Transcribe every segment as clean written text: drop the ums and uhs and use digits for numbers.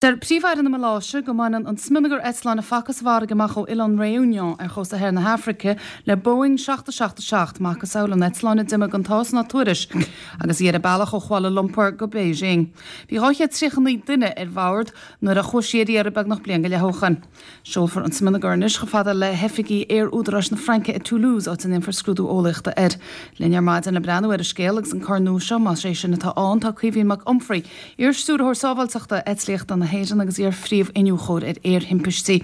Deir Príomh-Aire na Maláise go mbaineann an smionagar eitleáin a facthas sa bhfarraige amach ó Oileán Réunion ar chósta thoir na hAfraice le Boeing 777, macasamhail an eitleáin a d'imigh gan tásc ná tuairisc agus í ar a bealach ó Kuala Lumpur go Beijing. Bhí 239 duine ar bhord nuair a chuaigh sí ar iarraidh beagnach bliain go leith ó shin. Seolfar an smionagar anois chomh fada le hoifigí Aer-Údaráis na Fraince i Toulouse, áit a ndéanfar scrúdú eolaíochta air. Linn ar maidin le breathnú ar an scéal agus an cor nua seo, más é sin atá ann, tá Caoimhín Mac Unfraidh, iar-Stiúrthóir Sábháilteachta Eitlíochta na hÉireann agus iar-Phríomh-Iniúchóir ar Aerthimpistí.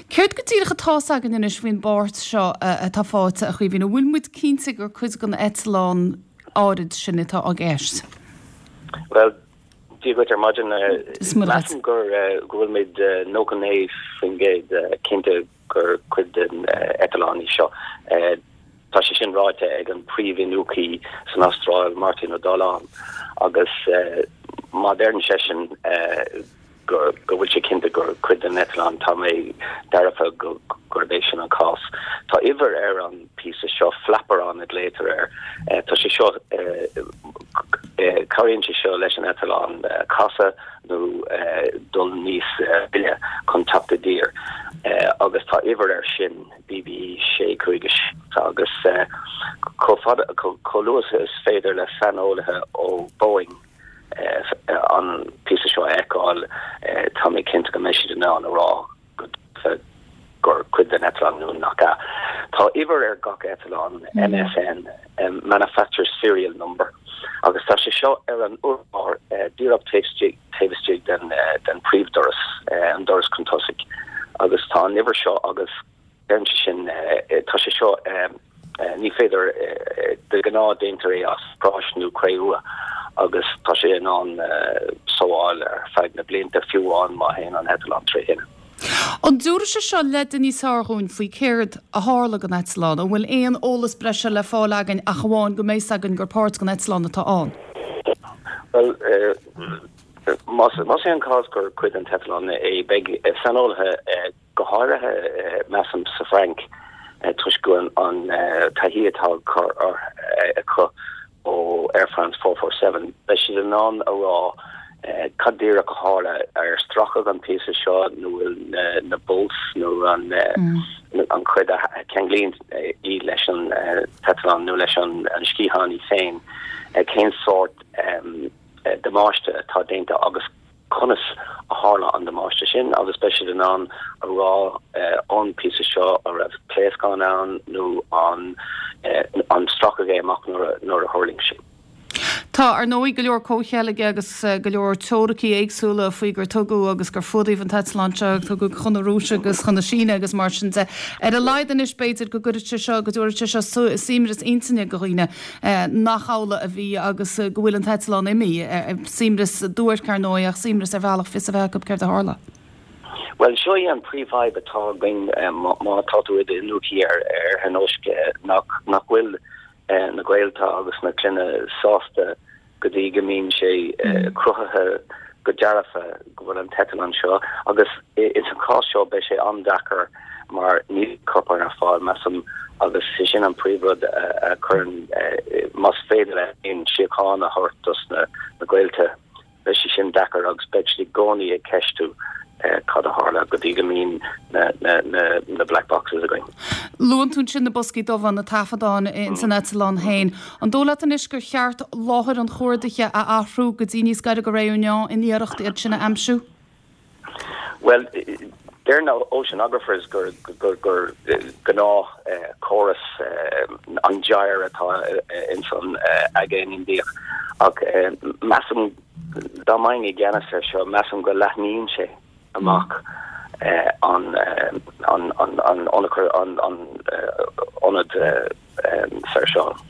Céard go díreach atá's againn anois faoin bpáirt seo atá faighte, a Chaoimhín? An bhfuil muid cinnte gur cuid den eitleán áirid sin atá i gceist? Bhuel, Dia dhuit ar maidin. Measaim go bhfuil muid 99% cinnte gur cuid den eitleán í seo. Tá sé sin ráite ag an príomh-iniúchaí san Astráil, Martin Ó Dálaigh, agus má deireann seisean go bhfuil sé cinnte gur cuid den eitleán, tá mé dearfa gurb é sin an cás. Tá uimhir ar an píosa seo, flaperon a ghlaotar air. Tá sé seo, cabhraíonn sé seo leis an eitleán casadh nó dul níos moille chun teacht i dtír agus tá uimhir air sin, BB 657, agus chomh fada, chomh luath is féidir le saineolaithe ó Boeing an píosa seo a fheiceáil, tá mé cinnte go mbeidh siad in ann a rá go dearfa gur cuid den eitleán nó nach ea. Tá uimhir ar gach eitleán, MSN, Manufacturer's Serial Number, agus tá sé seo ar an urlár díreach taobh istigh, taobh istigh den, den príomhdoras, an doras chun tosaigh, agus tá an uimhir seo agus Deireann sé sin, tá sé seo, ní féidir, de ghnáth déantar é as práis nó cré-umha agus tá sé in ann sábháil ar feadh na blianta fiú amháin má théann an eitleán tré thine. An dtabharfaidh sé seo leide níos fearr dhúinn faoi céard a tharla don eitleán? An bhfuil aon eolas breise le fáil againn ach amháin go mbeidh 's againn gur páirt den eitleán atá ann? Bhuel, más é an cás gur cuid den t-eitleán é, beidh saineolaithe go háirithe, measaim, sa Bhfrainc, toisc go bhfuil an taithí atá acu ó Air France 447, beidh siad in ann a rá cad díreach a tharla, ar stracadh an píosa seo nó bhfuil na bolts nó an chuid a cheanglaíonn í leis an t-eitleán nó leis an sciathán í féin, cén sórt damáiste atá déanta agus. conas a tharla an damáiste sin agus beidh siad in ann a rá ón bpíosa seo an raibh pléascán ann nó an an stracadh é amach nuair a thuirling sé. Tá, ar ndóigh, go leor comhcheilge agus go leor teoiricí éagsúla faoi gur tugadh agus gur fuadaíodh an t-eitleán seo, tugadh chun na Rúise agus chun na Síne agus mar sin de. Ar a laghad anois, b'fhéidir go gcuirfidh sé seo, go dtabharfaidh sé seo suaimhneas intinne do dhaoine. nach amhlaidh a bhí agus go bhfuil an t-eitleán imithe. Suaimhneas duairc, ar ndóigh, ach suaimhneas ar bhealach fios a bheith acu céard a tharla. Bhuel, seo í an príomhfhadhb atá againn má tá tú i d'iniúchaí ar aerthionóisc, nach bhfuil na gaolta agus na clainne sásta go dtí go mbíonn sé cruthaithe go dearfa go bhfuil an t-eitleán seo agus ins an chás seo beidh sé an-deacair mar níl corpán ar fáil, measaim, agus sé sin an príomhrud a chuireann, más féidir linn síocháin a thabhairt dos na gaolta, beidh sé sin deacair agus beidh siad i gcónaí ag ceistiú cad a tharla go dtí go mbíonn na black boxes againn. Luann tú ansin na boscaí dubha, na taifeadáin ins an eitleán féin. An dóigh leat anois gur cheart láthair an chuardaithe a athrú go dtí níos gaire go Réunion in iarracht iad sin a aimsiú? Bhuel, deir na oceanographers gur gur gnáth córas an gyre atá ins an Aigéan Indiach ach measaim dá mbeinn i gceannas ar seo, measaim go leathnaíonn sé amach an an an an ionad seiceála.